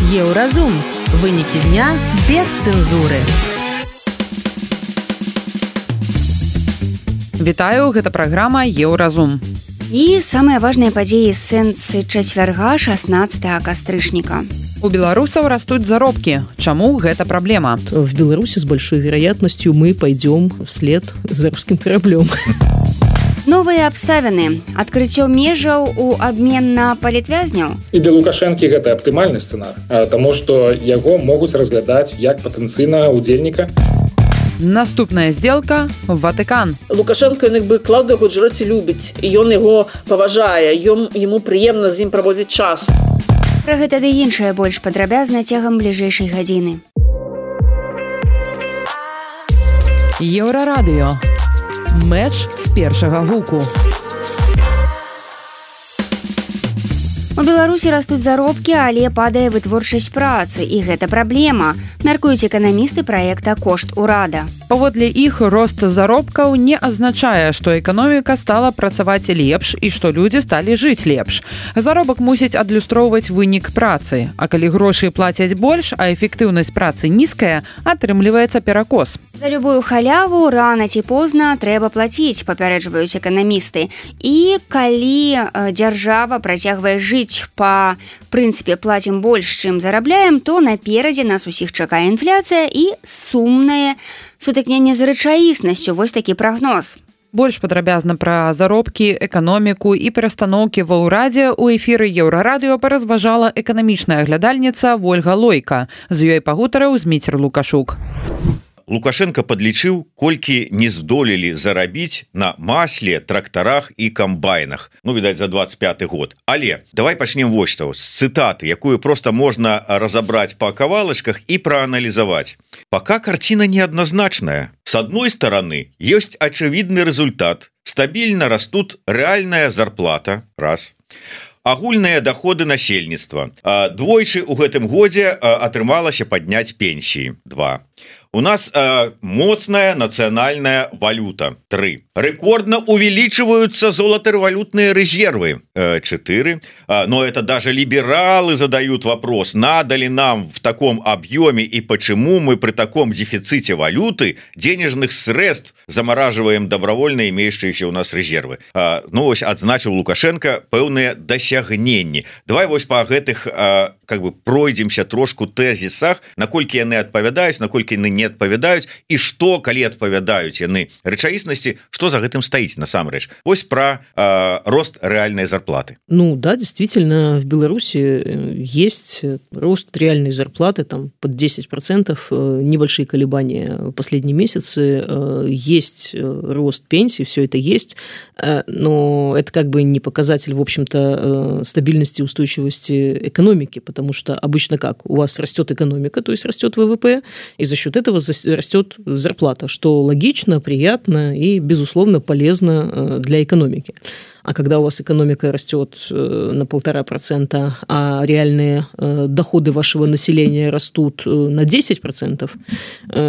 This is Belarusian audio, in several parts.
Еўразум. Вынікі дня без цэнзуры. Вітаю, гэта праграма Еўразум. І самыя важныя падзеі з сэнсы чацвярга 16 кастрычніка. У беларусаў растут заробкі. Чаму гэта праблема? В Беларуси с большой вероятностью мы пойдем вслед за русским кораблем. Новыя абставіны. Адкрыццё межаў у абмен на палітвязняў. І для Лукашэнкі гэта аптымальны сцэнар, таму што яго могуць разглядаць як патэнцыйнага удзельніка. Наступная сделка – Ватыкан. Лукашенко Клаўдыю Гуджэраці любіць, і ён яго паважае, яму прыемна з ім праводзіць час. Пра гэта ды іншае больш падрабязна цягам бліжэйшай гадзіны. Еўрарадыё. Мэч з першага гуку. У Беларусі растуць заробкі, але падае вытворчасць працы, і гэта праблема, мяркуюць эканамісты праекта «Кошт урада». Паводле іх, рост заробкаў не азначае, што эканоміка стала працаваць лепш і што людзі сталі жыць лепш. Заробак мусіць адлюстроўваць вынік працы, а калі грошы плацяць больш, а эфектыўнасць працы нізкая, атрымліваецца перакос. За любую халяву рана ці позна трэба плаціць, папярэджваюць эканамісты. І калі дзяржава працягвае жыць па прынцыпе плацім больш, чым зарабляем, то наперадзе нас усіх чакае інфляцыя і сумнае сутыкненне з рэчаіснасцю. Вось такі прагноз. Больш падрабязна пра заробкі, эканоміку і перастаноўкі ва ўрадзе ў эфіры Еўрарадыё паразважала эканамічная глядальніца Вольга Лойка. З ёй пагутарыў Зміцер Лукашук. Лукашенко падлічыў, колькі не здолелі зарабіць на масле, трактарах і камбайнах. Відаць, за 25 год. Але давай пачнем вось што, з цытаты, якую проста можна разабраць па кавалачках і прааналізаваць. Пока картина неоднозначная. С одной стороны, есть очевидный результат. Стабильно растут реальная зарплата. Раз. Агульныя доходы насельніцтва. Двойчы ў гэтым годзе атрымалася падняць пенсіі. 2. У нас моцная национальная валюта. 3. Рекордно увеличиваются золотовалютные резервы. 4. Но это даже либералы задают вопрос, надо ли нам в таком объеме и почему мы при таком дефиците валюты денежных средств замораживаем добровольно имеющиеся у нас резервы. Ось адзначыў Лукашенко пэўныя дасягненні. Давай вось па гэтых пройдземся трошку тэзісах, наколькі яны адпавядаюць, наколькі яны не адпавядаюць, і што, калі адпавядаюць яны рэчаіснасці, што за гэтым стаіць насамрэч. Вось пра рост реальной зарплаты. Да, действительно, в Беларуси есть рост реальной зарплаты там под 10%, небольшие колебания последние месяцы, есть рост пенсий, все это есть, но это не показатель, в общем-то, стабильности и устойчивости экономики, потому что обычно у вас растет экономика, то есть растет ВВП, и за счет этого растет зарплата, что логично, приятно и, безусловно, полезно для экономики. А когда у вас экономика растет на 1,5%, а реальные доходы вашего населения растут на 10%,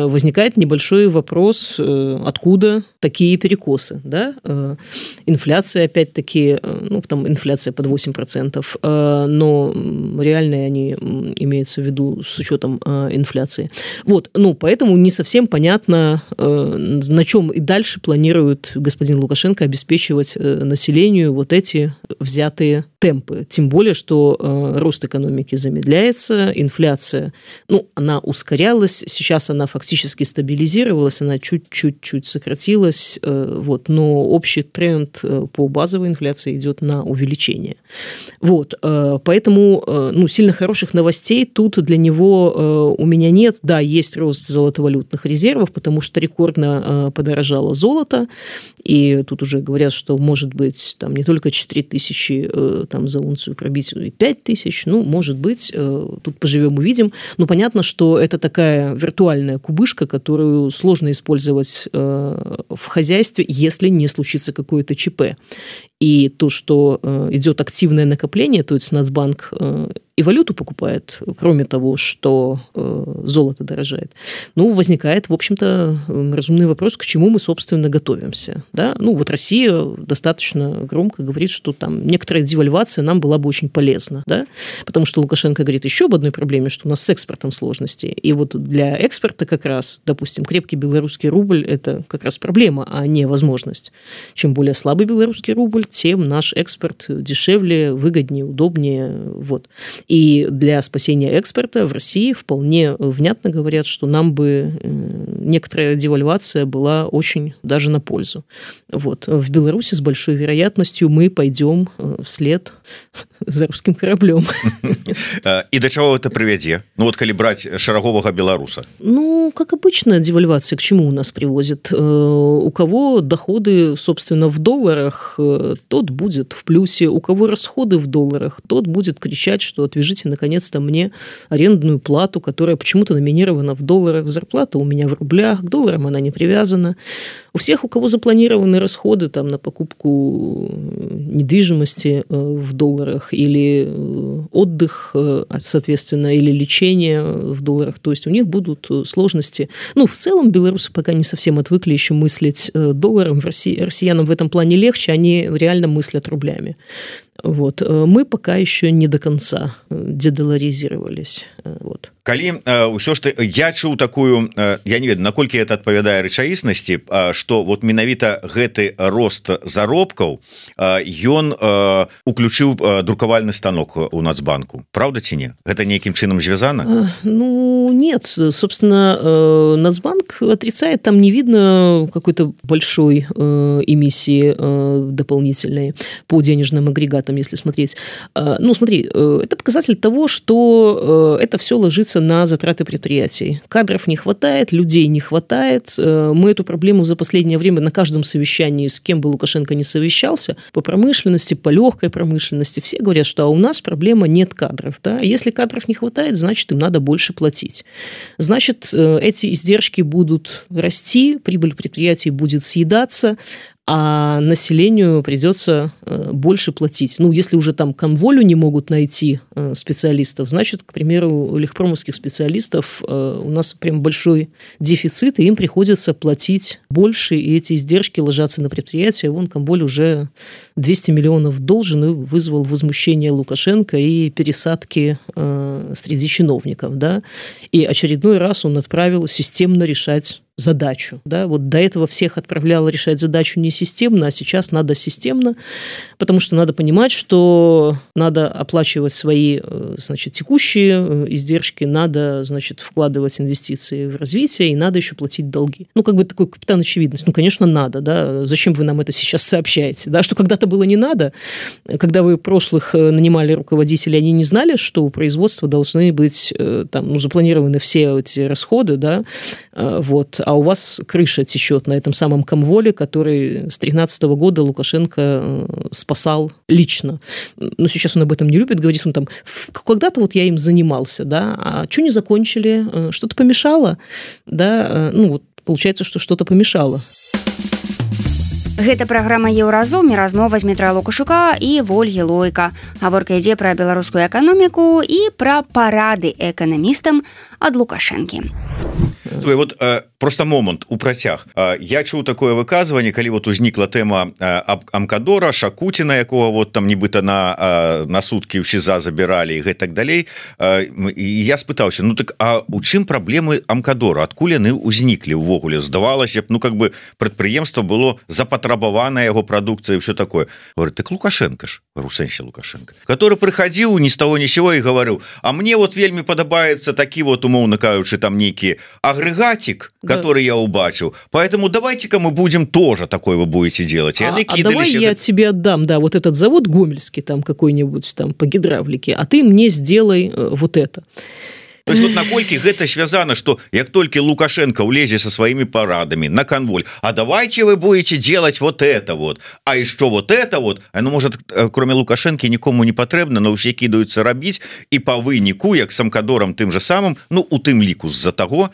возникает небольшой вопрос, откуда такие перекосы. Да? Инфляция, опять-таки, там инфляция под 8%, но реальные они имеются в виду с учетом инфляции. Поэтому не совсем понятно, на чем и дальше планирует господин Лукашенко обеспечивать население вот эти взятые темпы. Тем более, что рост экономики замедляется, инфляция, она ускорялась, сейчас она фактически стабилизировалась, она чуть-чуть сократилась, но общий тренд по базовой инфляции идет на увеличение. Поэтому сильно хороших новостей тут для него у меня нет. Да, есть рост золотовалютных резервов, потому что рекордно подорожало золото, и тут уже говорят, что может быть там не только 4000 за унцию пробить, и 5000, может быть, тут поживем увидим. Понятно, что это такая виртуальная кубышка, которую сложно использовать в хозяйстве, если не случится какое-то ЧП. И то, что идет активное накопление, то есть Нацбанк и валюту покупает, кроме того, что золото дорожает, возникает, в общем-то, разумный вопрос, к чему мы, собственно, готовимся. Да? Вот Россия достаточно громко говорит, что там некоторая девальвация нам была бы очень полезна, да? Потому что Лукашенко говорит еще об одной проблеме, что у нас с экспортом сложности. И вот для экспорта как раз, допустим, крепкий белорусский рубль – это как раз проблема, а не возможность. Чем более слабый белорусский рубль, тем наш экспорт дешевле, выгоднее, удобнее. Вот. И для спасения экспорта в России вполне внятно говорят, что нам бы некоторая девальвация была очень даже на пользу. Вот. В Беларуси с большой вероятностью мы пойдем вслед за русским кораблем. И до чего это приведет? Коли брать шарагового белоруса. Как обычно, девальвация к чему у нас приводит? У кого доходы, собственно, в долларах, тот будет в плюсе. У кого расходы в долларах, тот будет кричать, что отвяжите, наконец-то, мне арендную плату, которая почему-то номинирована в долларах. Зарплата у меня в рублях, к долларам она не привязана. У всех, у кого запланированы расходы там, на покупку недвижимости в долларах или отдых, соответственно, или лечение в долларах, то есть у них будут сложности. В целом белорусы пока не совсем отвыкли еще мыслить долларом. Россиянам в этом плане легче, они реально мыслят рублями. Вот. Мы пока еще не до конца дедоларизировались. Вот. Калі ўсё ж я чуў такую, я не ведаю, наколькі это адпавядае рэчаіснасці, што вот менавіта гэты рост заробкаў ён уключыў друкавальны станок у Нацбанку. Правда ці не? Гэта нейкім чынам звязана? Нет. Собственно, Нацбанк отрицает, там не видно какой-то большой эмиссии дополнительной по денежным агрегатам, если смотреть. Смотри, это показатель того, что это все ложится на затраты предприятий. Кадров не хватает, людей не хватает. Мы эту проблему за последнее время на каждом совещании, с кем бы Лукашенко не совещался, по промышленности, по легкой промышленности, все говорят, что у нас проблема нет кадров. Да? Если кадров не хватает, значит, им надо больше платить. Значит, эти издержки будут расти, прибыль предприятий будет съедаться, а населению придется больше платить. Если уже там комволю не могут найти специалистов, значит, к примеру, легпромовских специалистов у нас прям большой дефицит, и им приходится платить больше, и эти издержки ложатся на предприятия. Комволь уже 200 миллионов должен, и вызвал возмущение Лукашенко и пересадки среди чиновников. Да? И очередной раз он отправил системно решать задачу. Да? Вот до этого всех отправляло решать задачу не системно, а сейчас надо системно, потому что надо понимать, что надо оплачивать свои, текущие издержки, надо, вкладывать инвестиции в развитие, и надо еще платить долги. Такой капитан очевидность. Конечно, надо. Да? Зачем вы нам это сейчас сообщаете? Да? Что когда-то было не надо, когда вы прошлых нанимали руководителей, они не знали, что у производства должны быть запланированы все эти расходы, да? Вот. А у вас крыша течет на этом самом комволе, который с 2013 года Лукашенко спасал лично. Но сейчас он об этом не любит, говорит, когда-то я им занимался, да, а что не закончили, что-то помешало, да, получается, что что-то помешало. Гэта праграма «Еўразум» і размова з Дмітра Лукашука і Вольгі Лойка. Гаворка ідзе пра беларускую эканоміку і пра парады эканамістам ад Лукашэнкі. Вот просто момант у працяг. Я чуў такое выказванне, калі узнікла тэма Амкадора, Шакуціна, якого там нібыта на суткі ў ШІЗА забіралі і так далей. І я спытаўся, а у чым праблемы Амкадора? Адкуль яны ўзніклі ўвогуле? Здавалася б, прадпрыемства было запатрабавана яго прадукцыя і ўсё такое. Говорит, так Лукашенко ж, Русенще Лукашенко, который прыхадзіў ні з таго ні з сяго і гаварыў, а мне вельмі падабаецца такі умоўна кажучы, там нейкі агрегатик, который я убачил. Поэтому давайте-ка мы будем тоже такое вы будете делать. Давай я тебе отдам, да, вот этот завод гомельский там какой-нибудь там по гидравлике, а ты мне сделай вот это. То есть вот наколькі гэта связано, что як только Лукашенко улезе со своими парадами на конволь, а давайте вы будете делать вот это вот, а еще вот это вот, оно может кроме Лукашенко никому не патрэбна, но все кидаются рабіць, и по выніку як самкадорам тым же самым, ну у тым ліку з-за того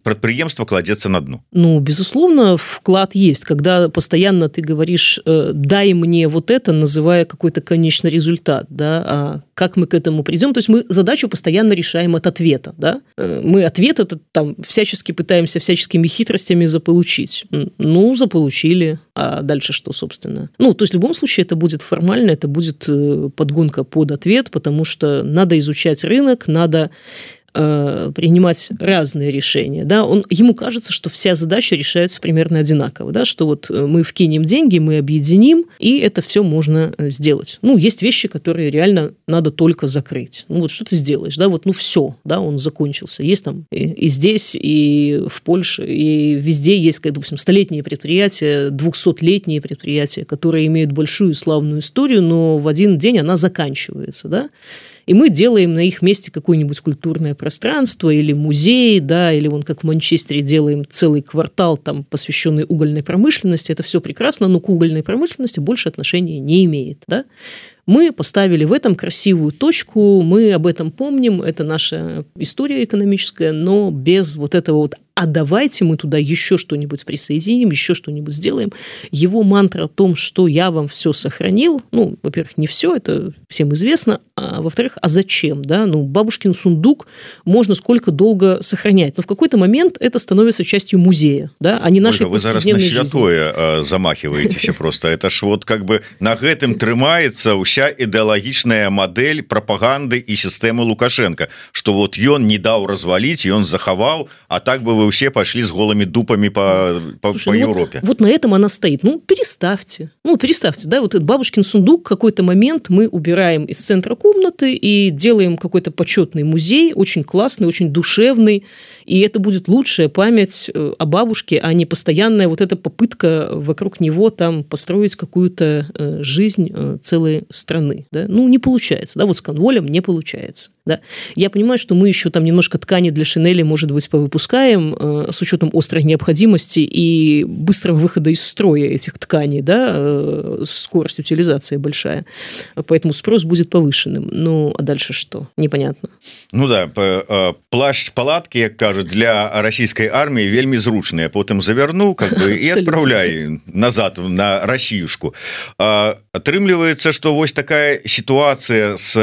предприемство кладется на дно. Ну безусловно вклад есть, когда постоянно ты говоришь дай мне вот это, называя какой-то конечный результат, да, а как мы к этому придем, то есть мы задачу постоянно решаем от ответа, да, мы ответ это там всячески пытаемся всяческими хитростями заполучить, ну заполучили, а дальше что, собственно, ну то есть в любом случае это будет формально, это будет подгонка под ответ, потому что надо изучать рынок, надо принимать разные решения, да, ему кажется, что вся задача решается примерно одинаково, да, что вот мы вкинем деньги, мы объединим, и это все можно сделать. Ну, есть вещи, которые реально надо только закрыть. Ну, вот что ты сделаешь, да, вот, ну, все, да, он закончился. Есть там и здесь, и в Польше, и везде есть, как, допустим, 100-летние предприятия, 200-летние предприятия, которые имеют большую славную историю, но в один день она заканчивается, да, и мы делаем на их месте какое-нибудь культурное пространство или музей, да, или вон как в Манчестере делаем целый квартал, там, посвященный угольной промышленности. Это все прекрасно, но к угольной промышленности больше отношения не имеет, да. Мы поставили в этом красивую точку, мы об этом помним, это наша история экономическая, но без вот этого вот «а давайте мы туда еще что-нибудь присоединим, еще что-нибудь сделаем». Его мантра о том, что я вам все сохранил, ну, во-первых, не все, это всем известно, а во-вторых, а зачем, да, ну, бабушкин сундук можно сколько долго сохранять, но в какой-то момент это становится частью музея, да, а не нашей повседневной жизни. Вы зараз на святое замахиваетесь просто, это ж вот как бы на гэтым трымаецца вся ідэалагічная модель пропаганды и системы Лукашенко, что вот ён не даў развалить, ён захаваў, а так бы вы все пошли с голыми дупами по Европе. Вот на этом она стоит. Ну, переставьте, да, вот этот бабушкин сундук, в какой-то момент мы убираем из центра комнаты и делаем какой-то почетный музей, очень классный, очень душевный, и это будет лучшая память о бабушке, а не постоянная вот эта попытка вокруг него там построить какую-то жизнь целой страны, да? Ну, не получается, да, вот с конволем не получается, да. Я понимаю, что мы еще там немножко ткани для шинели, может быть, повыпускаем с учетом острой необходимости и быстрого выхода из строя этих тканей, да, скорость утилизации большая, поэтому спрос будет повышенным. Ну, а дальше что? Непонятно. Ну да, плашч-палатки, як кажут, для российской армии вельмі зручные, потом заверну, как бы, и отправляй назад на Россиюшку. Атрымліваецца, что вось такая ситуация с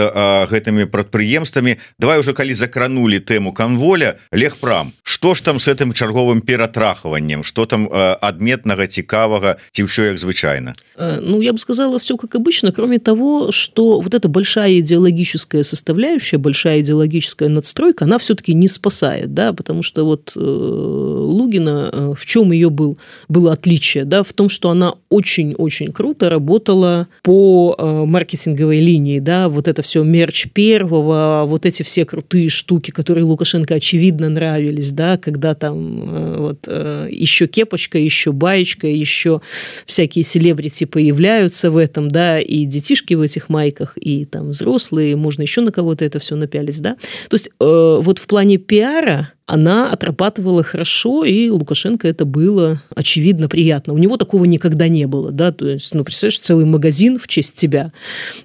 гэтымі прадпрыемствамі. Давай уже калі закранули тему конволя, Легпрам, что ж там с этим чарговым ператрахаваннем, что там адметнага, цікавага, ці ўсё як звычайно? Ну, я бы сказала, все как обычно, кроме того, что вот эта большая идеологическая составляющая, большая идеологическая надстройка, она все-таки не спасает, да, потому что вот Лугина, в чем ее было отличие, да, в том, что она очень-очень круто работала по маркетинговой линии, да, вот это все мерч первого, вот эти все крутые штуки, которые Лукашенко очевидно нравились, да, когда там вот еще кепочка, еще баечка, еще всякие селебрити появляются в этом, да, и детишки в этих майках, и там взрослые, можно еще на кого-то это все напялить, да. То есть вот в плане пиара она отрабатывала хорошо, и Лукашенко это было очевидно приятно. У него такого никогда не было, да, то есть, ну, представляешь, целый магазин в честь тебя,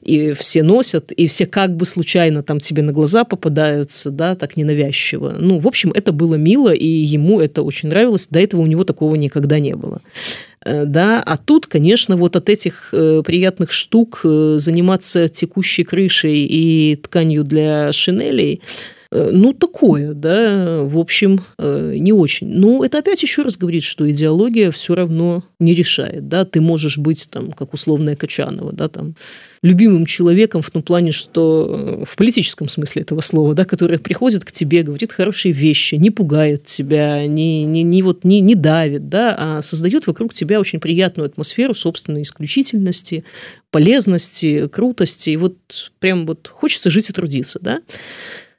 и все носят, и все как бы случайно там тебе на глаза попадаются, да, так ненавязчиво. Ну, в общем, это было мило, и ему это очень нравилось, до этого у него такого никогда не было. Да, а тут, конечно, вот от этих приятных штук заниматься текущей крышей и тканью для шинелей, ну, такое, да, в общем, не очень. Но это опять еще раз говорит, что идеология все равно не решает, да, ты можешь быть там, как условная Качанова, да, там, любимым человеком в том плане, что в политическом смысле этого слова, да, который приходит к тебе, говорит хорошие вещи, не пугает тебя, не давит, да, а создает вокруг тебя очень приятную атмосферу собственной исключительности, полезности, крутости, и вот прям вот хочется жить и трудиться, да.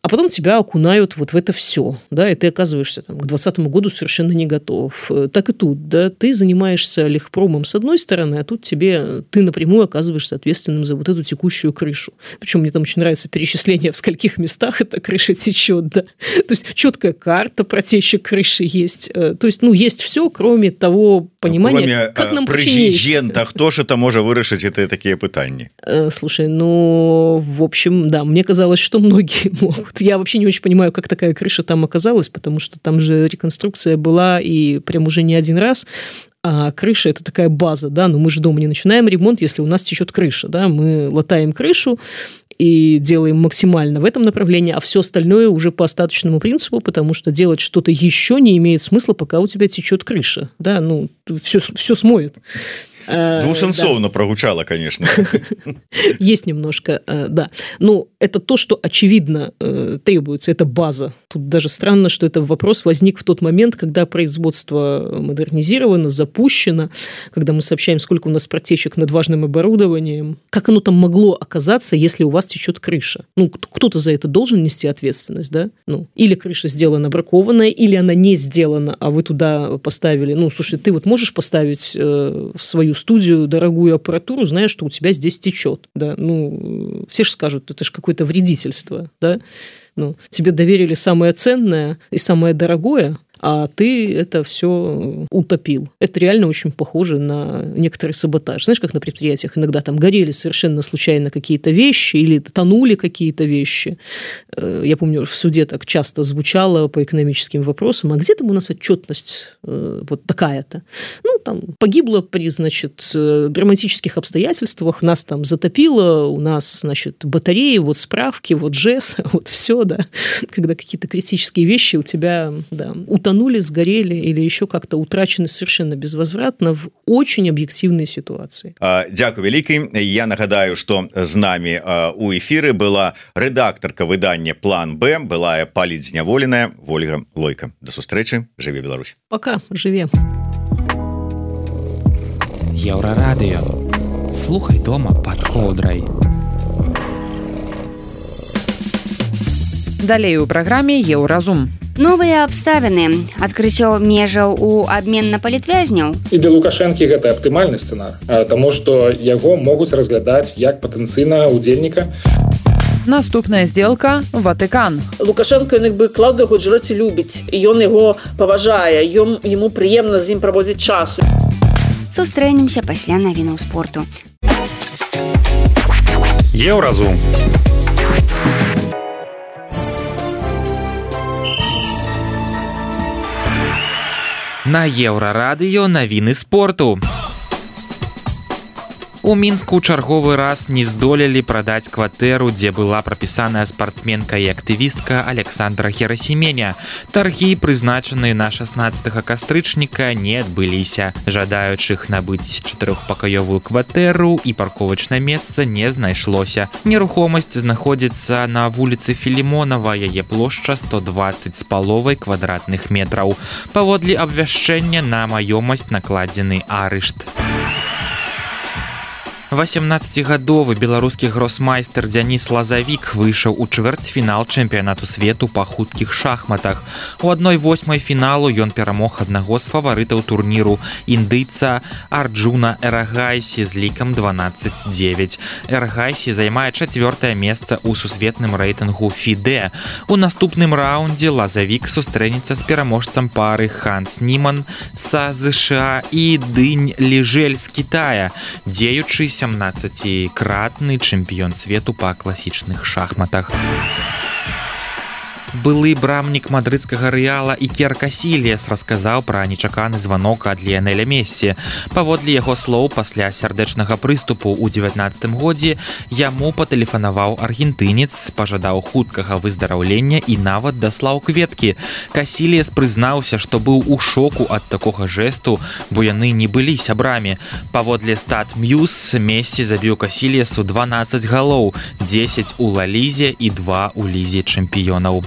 а потом тебя окунают вот в это все, да, и ты оказываешься там, к 2020 году совершенно не готов. Так и тут, да, ты занимаешься легпромом с одной стороны, а тут ты напрямую оказываешься ответственным за вот эту текущую крышу. Причем мне там очень нравится перечисление, в скольких местах эта крыша течет, да. То есть четкая карта протечек крыши есть. То есть, есть все, кроме того понимания, как нам починить. Хто ж это можа вырашыць это такие пытанні? Слушай, в общем, да, мне казалось, что многие могут. Я вообще не очень понимаю, как такая крыша там оказалась, потому что там же реконструкция была и прям уже не один раз. А крыша – это такая база, да, но мы же дома не начинаем ремонт, если у нас течет крыша, да, мы латаем крышу и делаем максимально в этом направлении, а все остальное уже по остаточному принципу, потому что делать что-то еще не имеет смысла, пока у тебя течет крыша, да, все смоет. Двусенцовно прогучало, конечно. Есть немножко, да. Это то, что очевидно требуется, это база. Тут даже странно, что этот вопрос возник в тот момент, когда производство модернизировано, запущено, когда мы сообщаем, сколько у нас протечек над важным оборудованием. Как оно там могло оказаться, если у вас течет крыша? Кто-то за это должен нести ответственность, да? Или крыша сделана бракованная, или она не сделана, а вы туда поставили... Слушай, ты вот можешь поставить в свою студию дорогую аппаратуру, зная, что у тебя здесь течет, да, все же скажут, это же какое-то вредительство, да, тебе доверили самое ценное и самое дорогое, а ты это все утопил. Это реально очень похоже на некоторый саботаж. Знаешь, как на предприятиях иногда там горели совершенно случайно какие-то вещи или тонули какие-то вещи. Я помню, в суде так часто звучало по экономическим вопросам, а где там у нас отчетность вот такая-то? Там погибло при, драматических обстоятельствах, нас там затопило, у нас, батареи, вот справки, вот ЖЭС, вот все, да. Когда какие-то критические вещи у тебя, да, утонули, сгорели или еще как-то утрачены совершенно безвозвратно в очень объективной ситуации. Дякую вялікі. Я нагадаю, что з нами у эфиры была редакторка выдання «План Б», былая паліцзняволеная Ольга Лойка. До сустрэчы. Жыве Беларусь. Пока. Жыве. Еўрарадыё. Слухай дома пад коўдрай. Далей у праграме «Еўразум». Новыя абставіны, адкрыццё межаў у абмен на палітвязняў. І для Лукашэнкі гэта аптымальны сцэнар, таму што яго могуць разглядаць як патэнцыйнага ўдзельніка. Наступная сделка – Ватыкан. Лукашенко Клаўдыю Гуджэраці любіць, і ён яго паважае, яму прыемна з ім праводзіць час. Сустрэнемся пасля навінаў спорту. Еўразум. На Еўрарадыё навіны спорту. У Мінску чарговы раз не здолелі прадаць кватэру, дзе была прапісаная спартсменка і актывістка Александра Херасіменя. Таргі, прызначаныя на 16 кастрычніка, не адбыліся. Жадаючых набыць 4-пакаёвую кватэру і парковачнае месца не знайшлося. Нерухомасць знаходзіцца на вуліцы Філімонава, яе плошча 120 з паловай квадратных метраў. Паводле абвяшчэння на маёмасць накладзены арышт. 18-гадовы беларускі гросмайстер Дзяніс Лазавік выйшаў у чвэрцьфінал чэмпіянату свету па хуткіх шахматах. У 1/8 фіналу ён перамог аднаго з фаварытаў турніру, індыйца Арджуна Эрагайсі з лікам 12-9. Эрагайсі займае 4-е месца ў сусветным рэйтынгу FIDE. У наступным раўндзе Лазавік сустрэнецца з пераможцам пары Ханс Німан са ЗША і Дынь Ліжэль з Кітая, дзеючы 17-кратны чэмпіён свету па класічных шахматах. Былы брамнік мадрыдскага Рэала Ікер Касільяс расказаў пра нечаканы званок ад Ліянэля Мессі. Паводле яго слоў, пасля сардэчнага прыступу ў 19 годзе яму патэлефанаваў аргентынец, пажадаў хуткага выздараўлення і нават даслаў кветкі. Касільяс прызнаўся, што быў у шоку ад такога жэсту, бо яны не былі сябрамі. Паводле Стат-Мьюз, Мессі забіў Касільясу 12 галоў, 10 у Ла Лізе і 2 у Лізе чэмпіёнаў.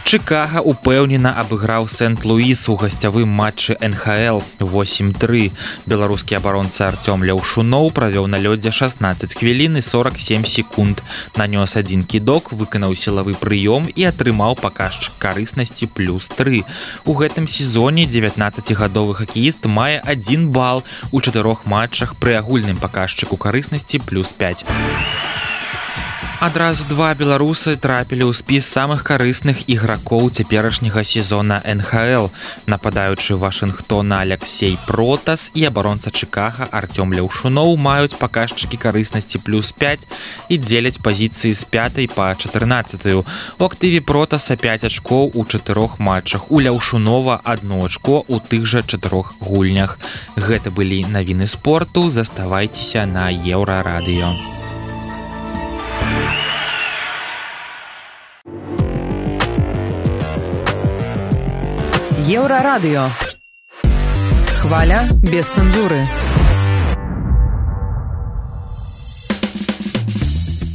Чикаго упэўнена абыграў Сент-Луіс у гасцявым матчы НХЛ 8-3. Беларускі абаронца Артём Ляўшуноў правёў на лёдзе 16 хвілін і 47 секунд. Нанёс адзін кідок, выканаў сілавы прыём і атрымаў паказчык карыснасці +3. У гэтым сезоне 19-гадовы хакеіст мае 1 бал у 4 матчах пры агульным паказчыку карыснасці +5. Адразу 2 беларусы трапілі ў спіс самых карысных ігракоў цяперашняга сезона НХЛ. Нападаючы Вашынгтона Алексей Протас і абаронца Чикаго Артём Ляўшуноў маюць паказчыкі карыснасці +5 і дзеляць пазіцыі з 5 па 14. У актыве Протаса 5 ачкоў у 4 матчах. У Ляўшунова 1 ачко ў тых жа 4 гульнях. Гэта былі навіны спорту. Заставайцеся на Еўрарадыё. Еўрарадыё. Хваля без цэнзуры.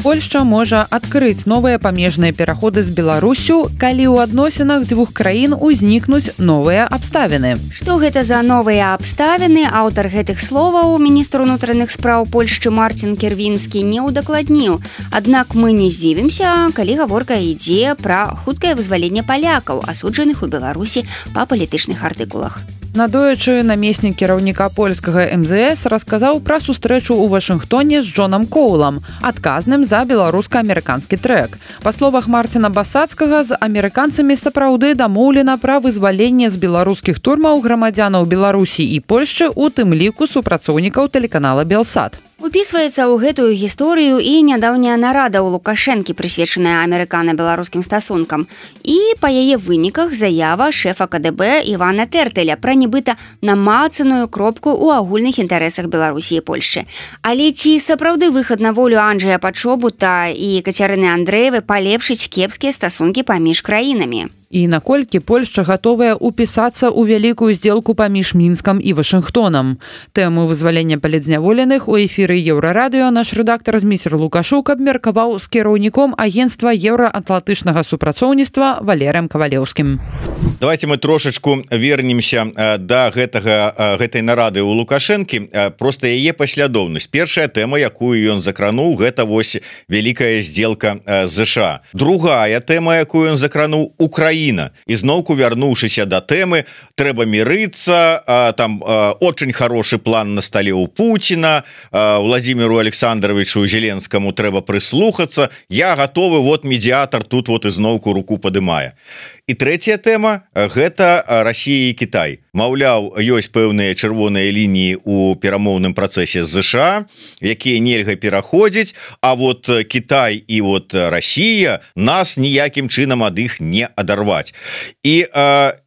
Польшча можа адкрыць новыя памежныя пераходы з Беларусю, калі ў адносінах дзвюх краін узнікнуць новыя абставіны. Што гэта за новыя абставіны? Аўтар гэтых словаў, міністр унутраных спраў Польшчы Марцін Кірвінскі, не ўдакладніў. Аднак мы не здзівімся, калі гаворка ідзе пра хуткае вызваленне палякаў, асуджаных у Беларусі па палітычных артыкулах. Надоечы намеснік кіраўніка польскага МЗС расказаў пра сустрэчу ў Вашынгтоне з Джонам Коулам, адказным за беларуска-амерыканскі трэк. Па словах Марціна Басацкага, з амерыканцамі сапраўды дамоўлена пра вызваленне з беларускіх турмаў грамадзянаў Беларусі і Польшчы, у тым ліку супрацоўнікаў тэлеканала Белсат. Упісваецца ў гэтую гісторыю і нядаўняя нарада ў Лукашэнкі, прысвечаная амерыкана-беларускім стасункам. І па яе выніках заява шэфа КДБ Івана Тэртэля пра нібыта намацаную кропку ў агульных інтарэсах Беларусі і Польшчы. Але ці сапраўды выхад на волю Анджэя Пачобута і Кацярыны Андрэевай палепшыць кепскія стасункі паміж краінамі? І наколькі Польшча гатовая упісацца ў вялікую здзелку паміж Мінскам і Вашынгтонам. Тэму вызвалення палітзняволеных у эфіры Еўрарадыё наш рэдактар Зміцер Лукашук абмеркаваў з кіраўніком агенцтва еўраатлантычнага супрацоўніцтва Валерыем Кавалеўскім. Давайте мы трошачку вернемся да гэтай нарады ў Лукашэнкі, просто яе паслядоўнасць. Першая тэма, якую ён закрануў, гэта вось вялікая здзелка ЗША. Другая тэма, якую ён закрануў, Украіна. І зноўку вярнуўшыся да тэмы, трэба мірыцца, там очень хороший план на столе у Путина, Владимиру Александровичу Зеленскому трэба прыслухацца, я готовы, вот медиатор тут вот ізноўку руку падымае. І трэцяя тэма – гэта Расія і Кітай. Маўляў, ёсць пэўныя чырвоныя лініі ў перамоўным працэсе з ЗША, якія нельга пераходзіць, а вот Кітай і вот Расія нас ніякім чынам ад іх не адарваць. І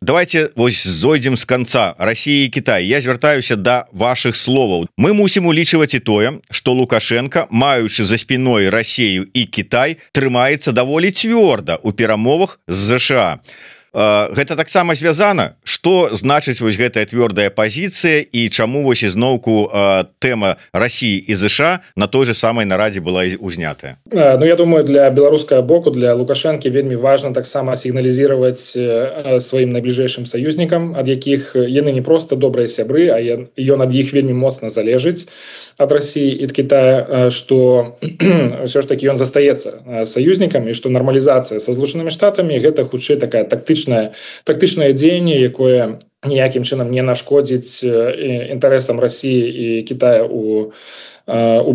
давайте вось зойдзем з канца. Расія і Кітай. Я звяртаюся да вашых словаў. Мы мусім улічваць і тое, што Лукашенко, маючы за спіной Расію і Кітай, трымаецца даволі цвёрда ў перамовах з ЗША. Гэта таксама звязана, што значыць вось гэтая твёрдая пазіцыя і чаму вось ізноўку тэма Расіі і ЗША на той же самай нарадзе была узнятая. Ну, я думаю, для беларускага боку, для Лукашэнкі вельмі важна таксама сігналізировать сваім найбліжэйшым саюзнікам, ад якіх яны не просто добрыя сябры, а ён ад іх вельмі моцна залежыць ад Расіі і ад Кітая, што ўсё ж таки ён застаецца саюзнікам і што нармалізацыя са Злучанымі Штатамі гэта хутчэй такая тактычнае дзеянне, якое ніякім чынам не нашкодзіць інтарэсам Расіі і Кітая у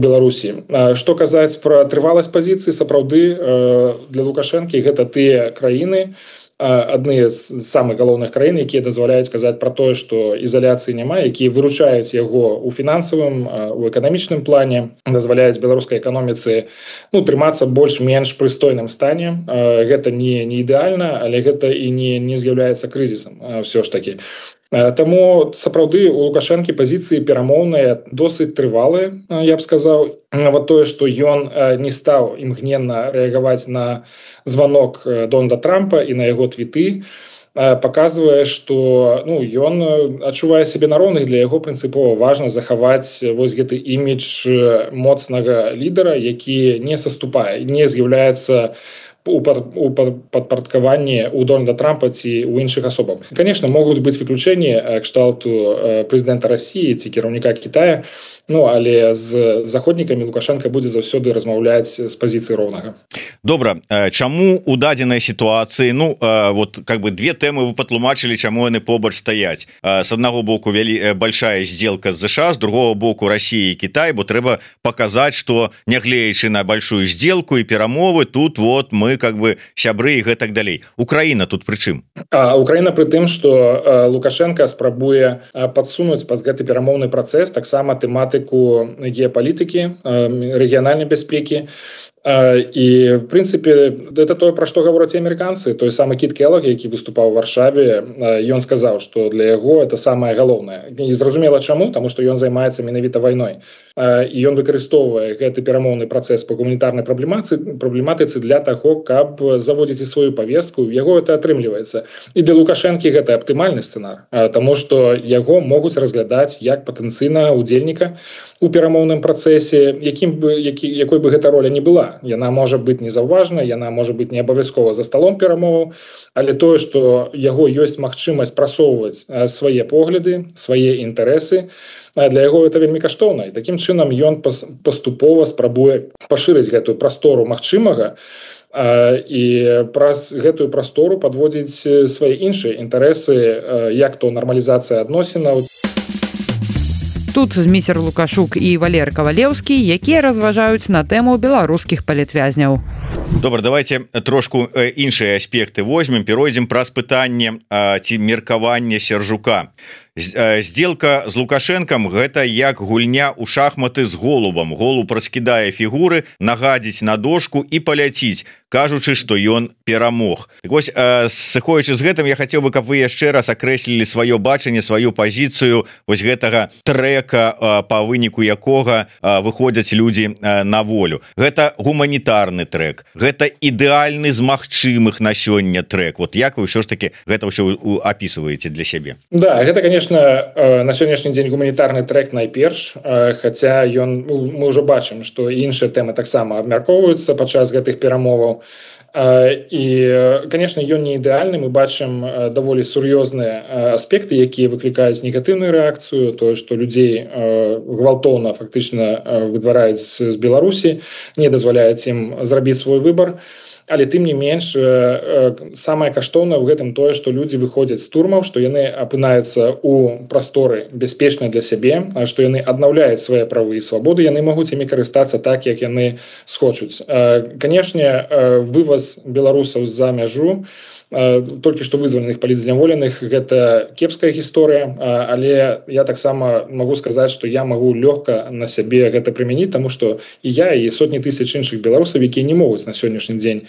Беларусі. Што казаць пра трываласць пазіцыі, сапраўды для Лукашэнкі гэта тыя краіны, адны з самых галоўных краін, якія дазваляюць казаць пра тое, што ізаляцыі няма, якія выручаюць яго ў фінансавым, у эканамічным плане, дазваляюць беларускай эканоміцы трымацца больш-менш прыстойным стане. Гэта не ідэальна, але гэта і не з'яўляецца крызісам ўсё ж такі. Таму сапраўды у Лукашэнкі пазіцыі перамоўныя досыць трывалыя, я б сказаў. Вот тое, што ён не стаў імгненна рэагаваць на званок Дональда Трампа і на яго твіты, паказвае, што ён адчувае сябе на роўных. Для яго прынцыпова важна захаваць вось гэты імідж моцнага лідара, які не саступае, не з'яўляецца у падпарадкаванні у Дональда Трампа ці у іншых асобаў. Конечно, могуць быць выключэнні кшталту прэзідэнта России ці кіраўніка Китая, але з заходнікамі Лукашенко будзе заўсёды размаўляць з пазіцыі роўнага. Добра, чаму у дадзенай сітуацыі две тэмы вы патлумачылі, чаму яны побач стаяць. С аднаго боку большая сделка з США, з другого боку Россия и Китай, бо трэба показаць, что нягледзячы на большую сделку и перамовы, тут мы сябры и гэтак далей. Украина тут пры чым? Украина пры тым, что Лукашенко спрабуе подсунуць пад гэты перамоўны працэс таксама тэматыку геапалітыкі, рэгіянальнай бяспекі. І в прынцыпе это тое, пра што гавораць амерыканцы. Той самы Кіт Келлог, які выступаў у Варшаве, ён сказаў, што для яго это самае галоўнае. Не зразумела чаму, таму што ён займаецца менавіта вайной. І ён выкарыстоўвае гэты перамоўны працэс па гуманітарнай праблематыцы для таго, каб заводзіць і сваю павестку. Яго это атрымліваецца. І для Лукашэнкі гэта аптымальны сцэнар, таму што яго могуць разглядаць як патэнцыйнага удзельніка у перамоўным працэсе, якой бы гэта роля не была. Яна можа быць незаўважна, яна можа быць не абавязкова за сталом перамоваў, але тое, што яго ёсць магчымасць прасоўваць свае погляды, свае інтарэсы, для яго это вельмі каштоўна. І такім чынам ён паступова спрабуе пашырыць гэтую прастору магчымага і праз гэтую прастору падводзіць свае іншыя інтарэсы, як то нармалізацыя адносінаў. Тут Зміцер Лукашук і Валер Кавалеўскі, якія разважаюць на тэму беларускіх палітвязняў. Добра, давайте трошку іншыя аспекты возьмем, перайдзем праз пытанне ці меркаванне Сяржука. Сделка з Лукашэнкам гэта як гульня ў шахматы з голубам. Голуб раскідае фігуры, нагадзіць на дошку і паляціць, кажучы, што ён перамог. Так вось, сыходзячы з гэтым, я хацеў бы, каб вы яшчэ раз акрэслілі сваё бачанне, сваю пазіцыю вось гэтага трэка, па выніку якога выходзяць людзі на волю. Гэта гуманітарны трэк, гэта ідэальны з магчымых на сёння трэк. Вот як вы ўсё ж таки гэта ўсё апісваеце для сябе? Да, гэта, конечно, на сённяшні дзень гуманітарны трэк найперш, хаця мы ўжо бачым, што іншыя тэмы таксама абмяркоўваюцца падчас гэтых перамоваў. І, конечно, ён не ідэальны. Мы бачым даволі сур'ёзныя аспекты, якія выклікаюць негатыўную рэакцыю, тое, што людзей гвалтоўна фактычна выдвараюць з Беларусі, не дазваляюць ім зрабіць свой выбар. Але тым не менш, самае каштоўнае ў гэтым тое, што людзі выходзяць з турмаў, што яны апынаюцца ў прасторы бяспечнай для сябе, што яны аднаўляюць свае правы і свабоды, яны могуць імі карыстацца так, як яны схочуць. Канешне, вываз беларусаў за мяжу, толькі што вызваленых палітзняволеных, гэта кепская гісторыя, але я таксама магу сказаць, што я магу лёгка на сябе гэта прымяніць, таму што і я, і сотні тысяч іншых беларусаў, якія не могуць на сённяшні дзень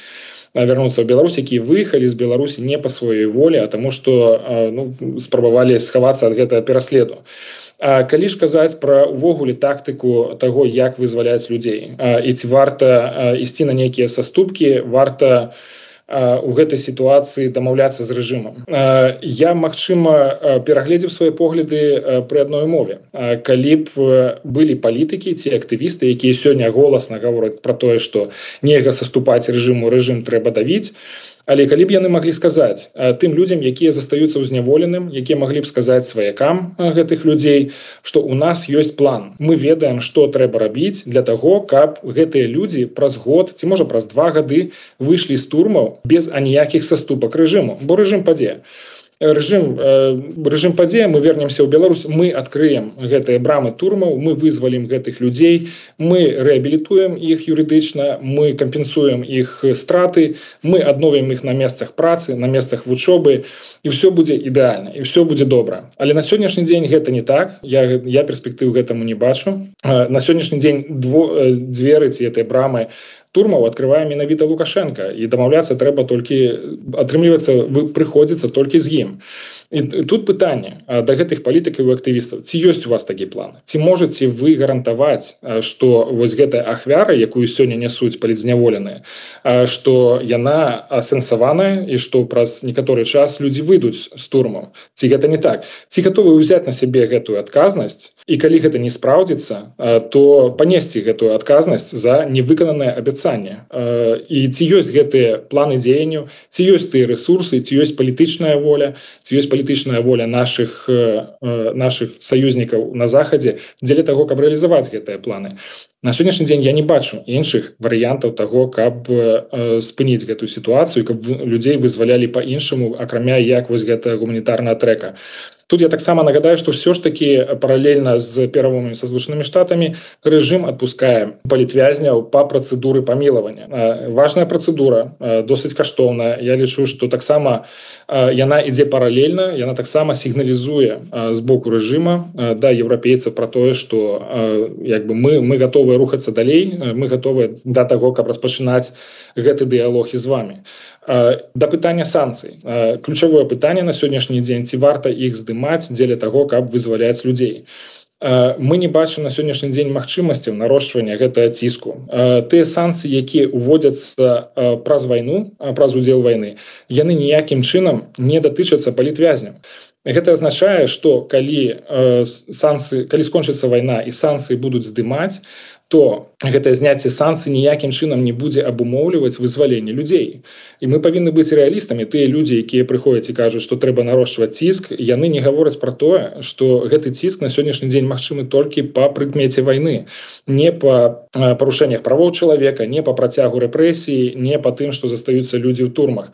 вярнуцца ў Беларусь, якія выехалі з Беларусі не па сваёй волі, а таму што спрабавалі схавацца ад гэтага пераследу. Калі ж казаць пра увогуле тактыку таго, як вызваляць людзей, і ці варта ісці на нейкія саступкі, варта у гэтай сітуацыі дамаўляцца з рэжымам. Я, магчыма, перагледзеў свае погляды пры адной мове. Калі б былі палітыкі ці актывісты, якія сёння голасна гавораць пра тое, што нельга саступаць рэжыму, рэжым трэба давіць, але калі б яны маглі сказаць тым людзям, якія застаюцца ўзняволеным, якія маглі б сказаць сваякам гэтых людзей, што ў нас ёсць план. Мы ведаем, што трэба рабіць для таго, каб гэтыя людзі праз год, ці можа праз 2 гады выйшлі з турмаў без аніякіх саступак рэжыму, бо рэжым падзе. Рэжым падзе, мы вернемся ў Беларусь, мы адкрыем гэтыя брамы турмаў, мы вызвалім гэтых людзей, мы рэабілітуем іх юрыдычна, мы кампенсуем іх страты, мы адновім іх на месцах працы, на месцах вучобы, і ўсё будзе ідэальна, і ўсё будзе добра. Але на сённяшні дзень гэта не так, я перспектыў гэтаму не бачу. На сённяшні дзень дзверы ці гэтыя брамы турмаў открывае менавіта Лукашенко, і дамаўляцца трэба толькі, атрымліваецца, прыходзіцца толькі з ім. І тут пытанне да гэтых палітыкаў і актывістаў: ці ёсць у вас такі план, ці можаце вы гарантаваць, што вось гэтая ахвяра, якую сёння нясуць палітзняволеныя, што яна асэнсаваная і што праз некаторы час людзі выйдуць з турмаў? Ці гэта не так? Ці гатовы ўзяць на сябе гэтую адказнасць, і калі гэта не спраўдзіцца, то панесці гэтую адказнасць за невыкананае абяцанне? І ці ёсць гэтыя планы дзеянняў, ці ёсць тыя рэсурсы, ці ёсць палітычная воля, ці ёсць палітычная воля нашых саюзнікаў на захадзе дзеля таго, каб рэалізаваць гэтыя планы? На сённяшні дзень я не бачу іншых варыянтаў таго, каб спыніць гэтую сітуацыю, каб людзей вызвалялі па-іншаму, акрамя як вось гэтая гуманітарная трэка. Тут я таксама нагадаю, што ўсё ж такі паралельна з перамовамі са Злучанымі Штатамі рэжым адпускае палітвязняў па працэдуры памілавання. Важная працэдура, досыць каштоўная. Я лічу, што таксама яна ідзе паралельна, яна таксама сігналізуе з боку рэжыма да еўрапейцаў пра тое, што мы гатовыя рухацца далей, мы гатовыя да таго, каб распачынаць гэты дыялог і з вамі. Да пытання санкцый. Ключавое пытанне на сённяшні дзень: ці варта іх здымаць дзеля таго, каб вызваляць людзей? Мы не бачым на сённяшні дзень магчымасцяў нарошчвання гэтага ціску. Тыя санкцыі, якія ўводзяцца праз вайну, праз удзел вайны, яны ніякім чынам не датычацца палітвязняў. Гэта азначае, што калі скончыцца вайна і санкцыі будуць здымаць, то гэтае зняцце санкцый ніякім чынам не будзе абумоўліваць вызваленне людзей. І мы павінны быць рэалістамі. Тыя людзі, якія прыходзяць і кажуць, што трэба нарошчваць ціск, яны не гавораць пра тое, што гэты ціск на сённяшні дзень магчымы толькі па прыкмеце вайны, не па парушэннях правоў чалавека, не па працягу рэпрэсіі, не па тым, што застаюцца людзі ў турмах.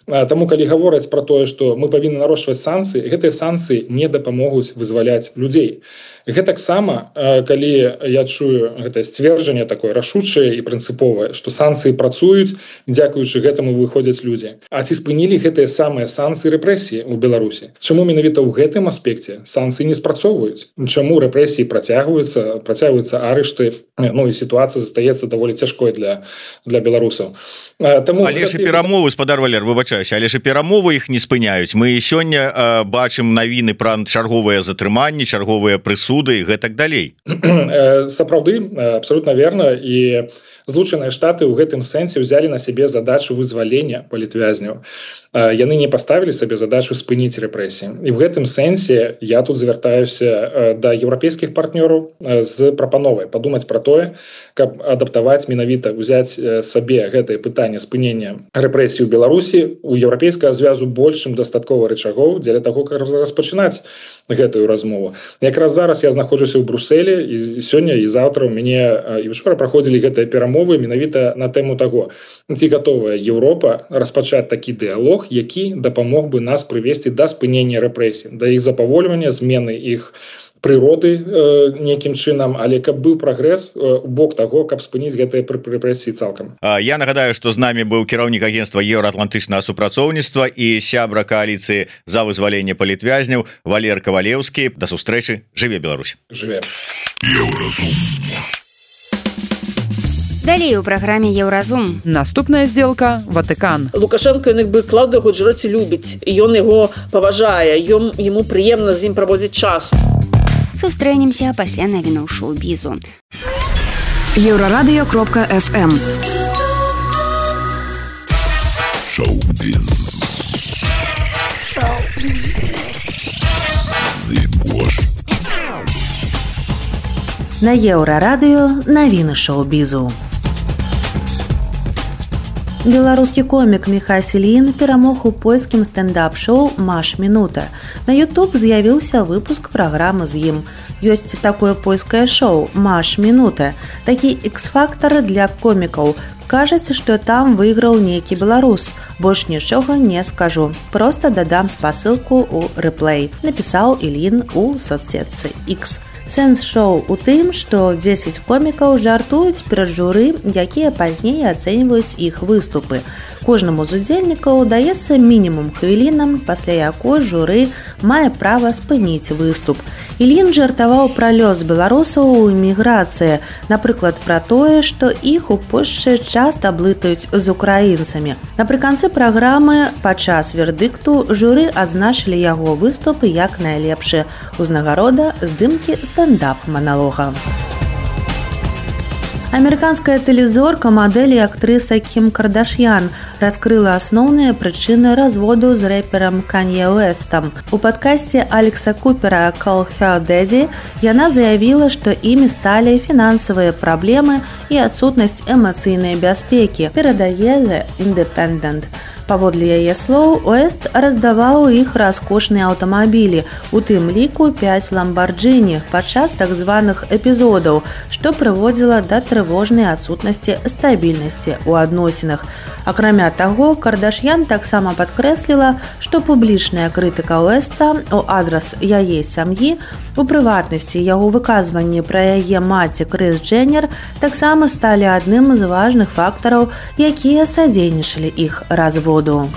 Таму, калі гавораць пра тое, што мы павінны нарошчваць санкцыі, гэтыя санкцыі не дапамогуць вызваляць людзей. Гэтаксама, калі я чую гэтае сцверджанне такое рашучае і прынцыповае, што санкцыі працуюць, дзякуючы гэтаму выходзяць людзі. А ці спынілі гэтыя самыя санкцыі рэпрэсіі ў Беларусі? Чаму менавіта ў гэтым аспекце санкцыі не спрацоўваюць? Чаму рэпрэсіі працягваюцца арышты, і сітуацыя застаецца даволі цяжкой для беларусаў. Але ж перамовы, спадар Валер, выбачаюся, але ж перамовы іх не спыняюць. Мы сёння бачым навіны пра чарговыя затрыманні, чарговыя прысуды і гэтак далей. Сапраўды, абсолютна верна. І Злучаныя Штаты ў гэтым сэнсе ўзялі на сябе задачу вызвалення палітвязняў. Яны не паставілі сабе задачу спыніць рэпрэсіі. І ў гэтым сэнсе я тут звяртаюся да еўрапейскіх партнёраў з прапановай падумаць пра тое, каб адаптаваць менавіта, ўзяць сабе гэтае пытанне спынення рэпрэсій у Беларусі. У еўрапейскага звязу больш чым дастаткова рычагоў дзеля таго, каб распачынаць гэтую размову. Якраз зараз я знаходжуся ў Брусэлі, і сёння і заўтра у мяне і учора праходзілі гэтыя перамовы менавіта на тэму таго, ці гатовая Еўропа распачаць такі дыялог, які дапамог бы нас прывесці да спынення рэпрэсій, да іх запавольвання, змены іх прыроды нейкім чынам, але каб быў прагрэс у бок таго, каб спыніць гэтыя рэпрэсіі цалкам. Я нагадаю, што з намі быў кіраўнік агенцтва еўраатлантычнага супрацоўніцтва і сябра кааліцыі за вызваленне палітвязняў Валер Кавалеўскі. Да сустрэчы. Жыве Беларусь. Жыве. Еўразум. Далей у праграме Еўразум. Наступная сделка – Ватыкан. Лукашенко Клаўдыю Гуджраці любіць, і ён яго паважае, яму прыемна з ім праводзіць час. Сустрэнемся пасля навінаў шоу-бізу. Еўрарадыё.фм. Шоу-біз. На Еўрарадыё навіны шоу-бізу. Беларускі комік Міхай Селін перамог у польскім стендап-шоу «Маш Мінута». На YouTube з'явіўся выпуск праграмы з ім. Ёсць такое польскае шоу «Маш Мінута». Такі ікс-фактар для комікаў. Кажаце, што там выйграў нейкі беларус. Больш нічога не скажу. Проста дадам спасылку ў рэплей. Напісаў Ілін у соцсетцы X. Сэнс шоу у тым, што 10 комікаў жартуюць перад журы, якія пазней ацэньваюць іх выступы. Кожнаму з удзельнікаў даецца мінімум хвілінам, пасля якой журы мае права спыніць выступ. Ільін жартаваў пра лёс беларусаў у эміграцыі, напрыклад, пра тое, што іх у Польшчы часта блытаюць з украінцамі. Напрыканцы праграмы падчас вердыкту журы адзначылі яго выступ як найлепшы. Узнагарода здымкі стендап-маналога. Амерыканская тэлезорка, мадэль і актрыса Кім Кардашьян раскрыла асноўныя прычыны разводу з рэперам Канье Уэстам. У падкасце Алекса Купера «Call Her Daddy» яна заявіла, што імі сталі фінансавыя праблемы і адсутнасць эмацыйнай бяспекі, перадае The Independent. Паводле яе слоў, Уэст раздаваў іх раскошныя аўтамабілі, у тым ліку 5 ламбарджыні падчас так званых эпізодаў, што прыводзіла да трывожнай адсутнасці стабільнасці ў адносінах. Акрамя таго, Кардашьян таксама падкрэсліла, што публічная крытыка Уэста ў адрас яе сям'і, у прыватнасці яго выказванні пра яе маці Крыс Дженнер таксама сталі адным з важных фактараў, якія садзейнічалі іх разводу.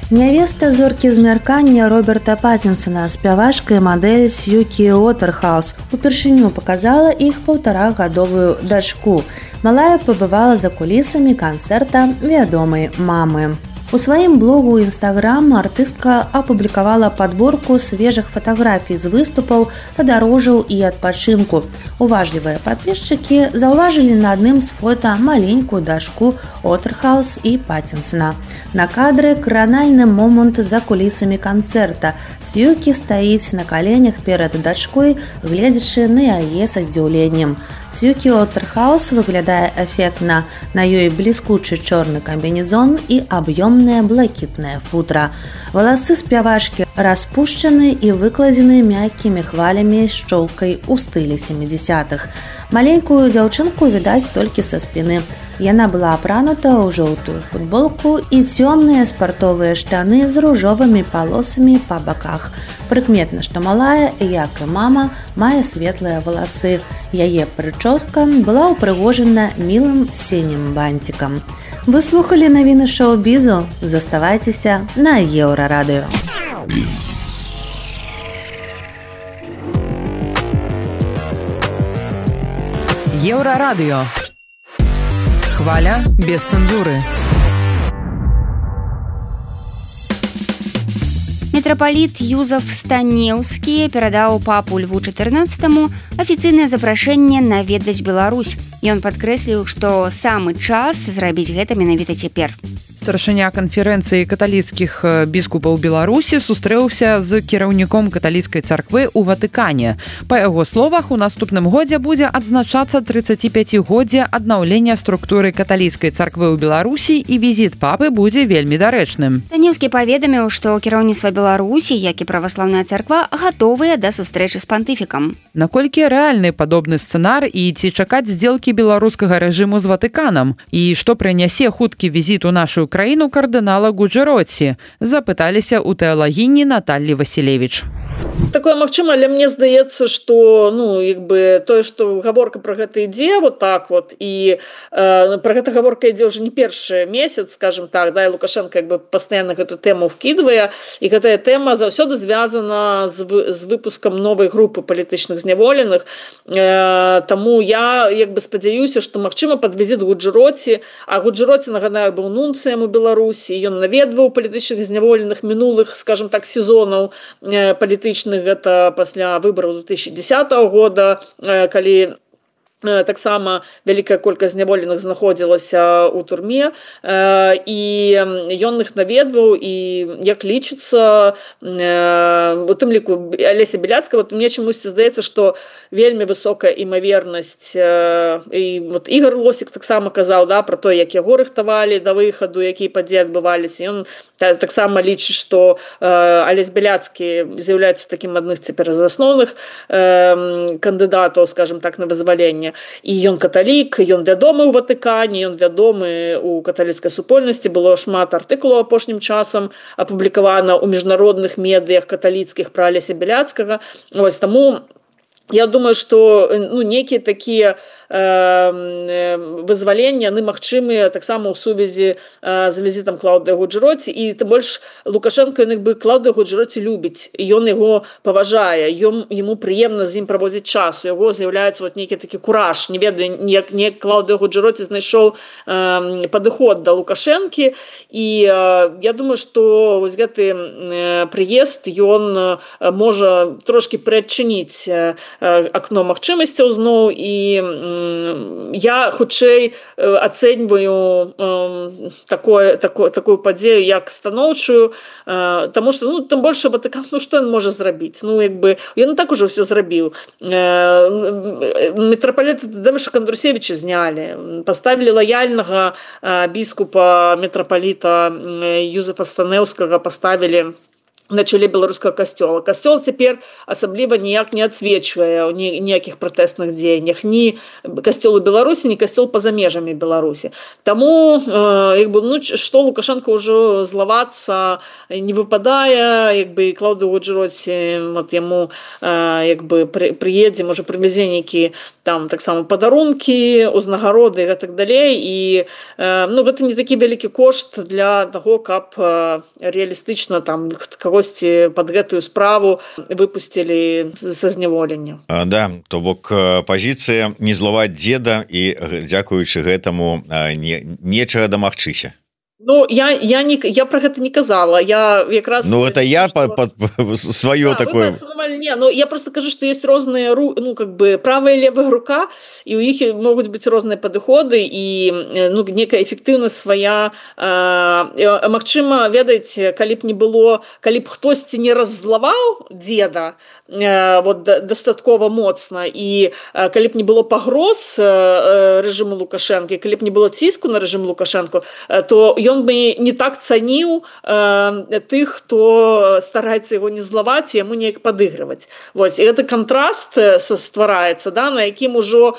Нявеста зоркі змяркання Роберта Паттінсона, спявачка і мадэль Сьюкі Уотерхаус, упершыню паказала іх 1,5-гадовую дачку. Малая пабывала за кулісамі канцэрта вядомай мамы. У сваім блогу ў Інстаграм артыстка апублікавала падборку свежых фатаграфій з выступаў, падарожжаў і адпачынку. Уважлівыя падпісчыкі заўважылі на адным з фота маленькую дачку Уотерхаус і Паттінсона. На кадры кранальны момант за кулісамі канцэрта. Сьюкі стаіць на каленях перад дачкой, гледзячы на яе са здзіўленнем. Сьюкі Уотерхаус выглядае эфектна. На ёй бліскучы чорны камбінезон і аб'ёмнае блакітнае футра. Валасы спявачкі распушчаны і выкладзены мяккімі хвалямі з шчолкай у стылі 70-х. Маленькую дзяўчынку відаць толькі са спіны. Яна была апранута ў жоўтую футболку і цёмныя спартовыя штаны з ружовымі палосамі па баках. Прыкметна, што малая, як і мама, мае светлыя валасы. Яе прычоска была ўпрыгожана мілым сінім бантикам. Вы слухалі навіны шоу-бізу? Заставайцеся на Еўрарадыё. Еўрарадыё. Хваля без цэнзуры. Мітрапаліт Юзаф Станеўскі перадаў папу Льву XIV афіцыйнае запрашэнне наведаць Беларусь. Ён падкрэсліў, што самы час зрабіць гэта менавіта цяпер. Старшыня канферэнцыі каталіцкіх біскупаў Беларусі сустрэўся з кіраўніком каталіцкай царквы ў Ватыкане. Па яго словах, у наступным годзе будзе адзначацца 35-годдзе аднаўлення структуры каталіцкай царквы ў Беларусі і візіт папы будзе вельмі дарэчным. Станеўскі паведаміў, што кіраўніцтва Беларусі, як і праваслаўная царква, гатовыя да сустрэчы з пантыфікам. Наколькі рэальны падобны сцэнар і ці чакаць здзелкі беларускага рэжыму з Ватыканам? І што прынясе хуткі візіт у нашу краіну кардынала Гуджэроці? Запыталіся ў тэалагіні Наталлі Васілевіч. Такое магчыма, але мне здаецца, што тое, што гаворка пра гэта ідзе вот так вот, і пра гэта гаворка ідзе ўжо не першы месяц, скажем так, да, і Лукашенко пастаянна гэту тэму вкідвае, і гэтая тэма заўсёды звязана з выпускам новай групы палітычных зняволеных. Таму я спадзяюся, што магчыма пад візіт Гуджэроці, а Гуджэроці, нагадаю, быў нунцыем у Беларусі, ён наведваў палітычных зняволеных мінулых, скажем так, сезонаў палітычных. Гэта пасля выбараў 2010 года, калі таксама вялікая колькасць зняволеных знаходзілася ў турме, і ён іх наведваў, і як лічыцца, у тым ліку Алеся Беляцкая, мне чамусьці здаецца, што вельмі высокая імавернасць, і Ігор Лосік таксама казаў, да, пра то, як яго рыхтавалі да выхаду, якія падзеі адбываліся. Ён таксама лічыць, што Алесь Беляцкі з'яўляецца такім адным цяпер з асноўных кандыдатаў, скажем так, на вызваленне. І ён каталік, ён вядомы ў Ватыкане, ён вядомы ў каталіцкай супольнасці. Было шмат артыкулаў апошнім часам апублікавана ў міжнародных медыях каталіцкіх пра Алеся Беляцкага. Таму Я думаю, што нейкія такія вызвалення яны магчымыя таксама ў сувязі з візітам Клаўдыя Гуджэроці, і тым больш Лукашенко Клаўдыя Гуджэроці любіць, ён яго паважае, яму прыемна з ім праводзіць час, у яго з'яўляецца нейкі такі кураж, не ведаю, як Клаўдыя Гуджэроці знайшоў падыход да Лукашэнкі, і я думаю, што гэты прыезд ён можа трошкі прыадчыніць акно магчымасцяў зноў, і я хутчэй ацэньваю такую падзею як станоўчую, таму што тым больш Ватыкан, што ён можа зрабіць, ён так ужо ўсё зрабіў. Мітрапаліта Тадзеуша Кандрусевіча знялі, паставілі лаяльнага біскупа мітрапаліта Юзефа Станеўскага, паставілі на чале беларускага касцёла. Касцёл цяпер асабліва ніяк не адсвечвае ў ніякіх пратэсных дзеяннях ні касцёл у Беларусі, ні касцёл па-за межамі Беларусі. Таму што Лукашенко ўжо злавацца не выпадае, Клаўдыя Гуджэроці яму прыедзе, можа прывязе нейкі там таксама падарункі, узнагароды і гэтак далей, і гэта не такі вялікі кошт для таго, каб рэалістычна там кагосьці пад гэтую справу выпусцілі са зняволення. Да, то бок пазіцыя не злаваць дзеда, і дзякуючы гэтаму нечага дамагчыся. Я про гэта не казала. Я якраз это я сваё такое. Я просто кажу, што ёсць розныя правая і левая рука, і ў іх могуць быць розныя падыходы, і некая эфектыўнасць свая. Магчыма, ведаеце, калі б хтосьці не раззлаваў дзеда дастаткова моцна, і калі б не было пагроз рэжыму Лукашэнкі, калі б не было ціску на рэжым Лукашэнку, то ён бы не так цаніў тых, хто стараецца яго не злаваць і яму неяк падыгрываць. І гэты кантраст ствараецца, на якім ужо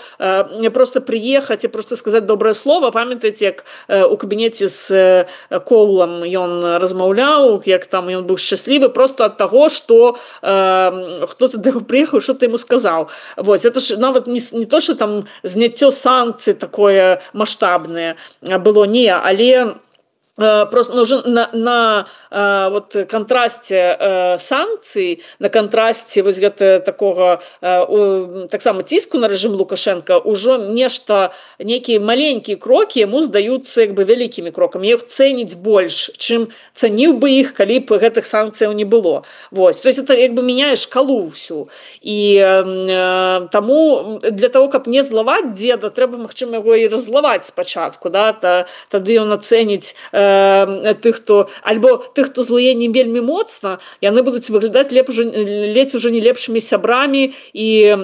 проста прыехаць і проста сказаць добрае слово. Памятаеце, як у кабінеце з Коулам ён размаўляў, як там ён быў шчаслівы проста ад таго, што хто-то да яго прыехаў, што-то яму сказаў. Это ж нават не то, што там зняццё санкцый такое маштабнае было, не, але просто уже на контрасте санкций, на контрасте такого таксама ціску на рэжым Лукашенко ўжо некія маленькія крокі яму здаюцца вялікімі крокамі. Іх цэніць больш, чым цаніў бы іх, калі б гэтых санкцыяў не было. То есть это мяняе шкалу ўсю. І таму для того, каб не злаваць дзеда, трэба, магчыма, яго і раззлаваць спачатку. Тады ён ацэніць тых, хто злые не вельмі моцна, яны будуць выглядаць ледзь ужо не лепшымі сябрамі і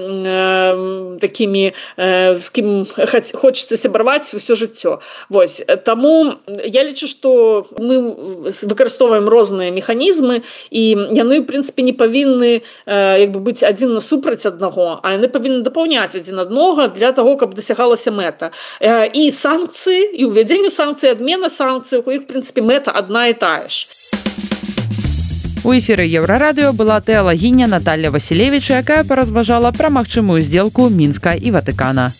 такімі, з кім хочацца сябраваць ўсё жыццё. Таму я лічу, што мы выкарыстоўваем розныя механізмы, і яны, в прынцыпе, не павінны быць адзін насупраць аднаго, а яны павінны дапаўняць адзін аднаго для таго, каб дасягалася мэта. І санкцыі, і ўвядзенне санкцый, адмена санкцый, у іх, в прынцыпе, мэта адна і тая ж. У эфіры Еўрарадыё была тэалагіня Наталья Васілевіч, якая паразважала пра магчымую здзелку Мінска і Ватыкана.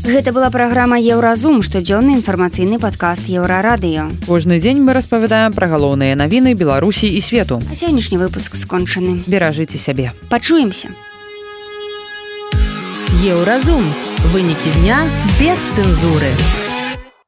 Гэта была праграма «Еўразум», штодзённы інфармацыйны падкаст Еўрарадыё. Кожны дзень мы распавядаем пра галоўныя навіны Беларусі і свету. А сённяшні выпуск скончаны. Беражыце сябе. Пачуемся. Еўразум. Вынікі дня без цэнзуры.